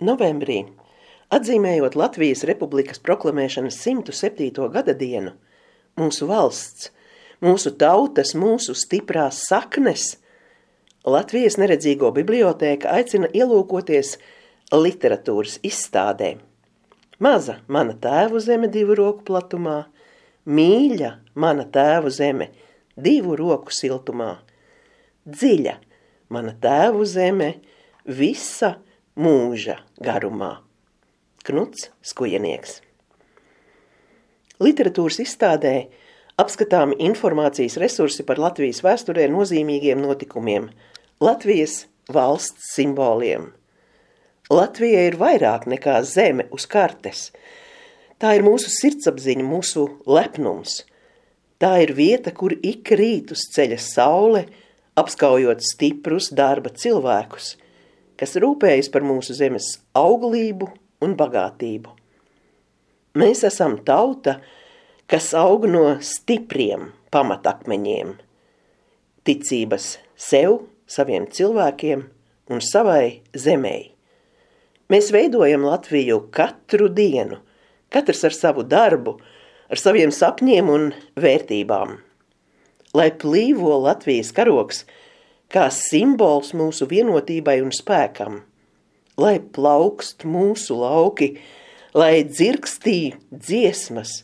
Novembrī, atzīmējot Latvijas Republikas proklamēšanas 107. gada dienu, mūsu valsts, mūsu tautas, mūsu stiprās saknes, Latvijas neredzīgo bibliotēka aicina ielūkoties literatūras izstādē. Maza mana tēvu zeme 2 roku platumā, mīļa mana tēvu zeme 2 roku siltumā, dziļa mana tēvu zeme visa mūža garumā. Knuts Skujenieks. Literatūras izstādē apskatāmi informācijas resursi par Latvijas vēsturē nozīmīgiem notikumiem, Latvijas valsts simboliem. Latvija ir vairāk nekā zeme uz kartes. Tā ir mūsu sirdsapziņa, mūsu lepnums. Tā ir vieta, kur ik rīt uz ceļa saule, apskaujot stiprus darba cilvēkus, kas rūpējas par mūsu zemes auglību un bagātību. Mēs esam tauta, kas aug no stipriem pamatakmeņiem, ticības sev, saviem cilvēkiem un savai zemei. Mēs veidojam Latviju katru dienu, katrs ar savu darbu, ar saviem sapņiem un vērtībām. Lai plīvo Latvijas karogs kā simbols mūsu vienotībai un spēkam, lai plaukst mūsu lauki, lai dzirkstī dziesmas,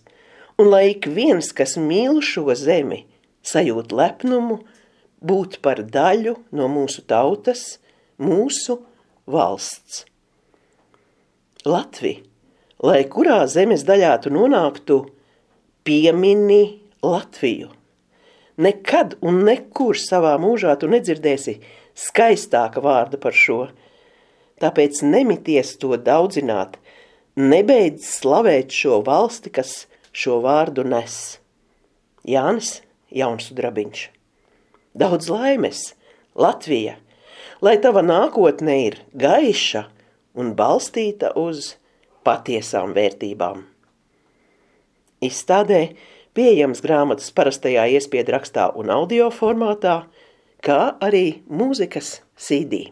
un lai ik viens, kas mīl šo zemi, sajūt lepnumu, būt par daļu no mūsu tautas, mūsu valsts. Latvi, lai kurā zemes daļā tu nonāktu, piemini Latviju. Nekad un nekur savā mūžā tu nedzirdēsi skaistāka vārda par šo. Tāpēc nemities to daudzināt, nebeidz slavēt šo valsti, kas šo vārdu nes. Jānis Jaunsudrabiņš. Daudz laimes, Latvija, lai tava nākotne ir gaiša un balstīta uz patiesām vērtībām. Izstādē pieejams grāmatas parastajā iespiedu rakstā un audio formātā, kā arī mūzikas CD.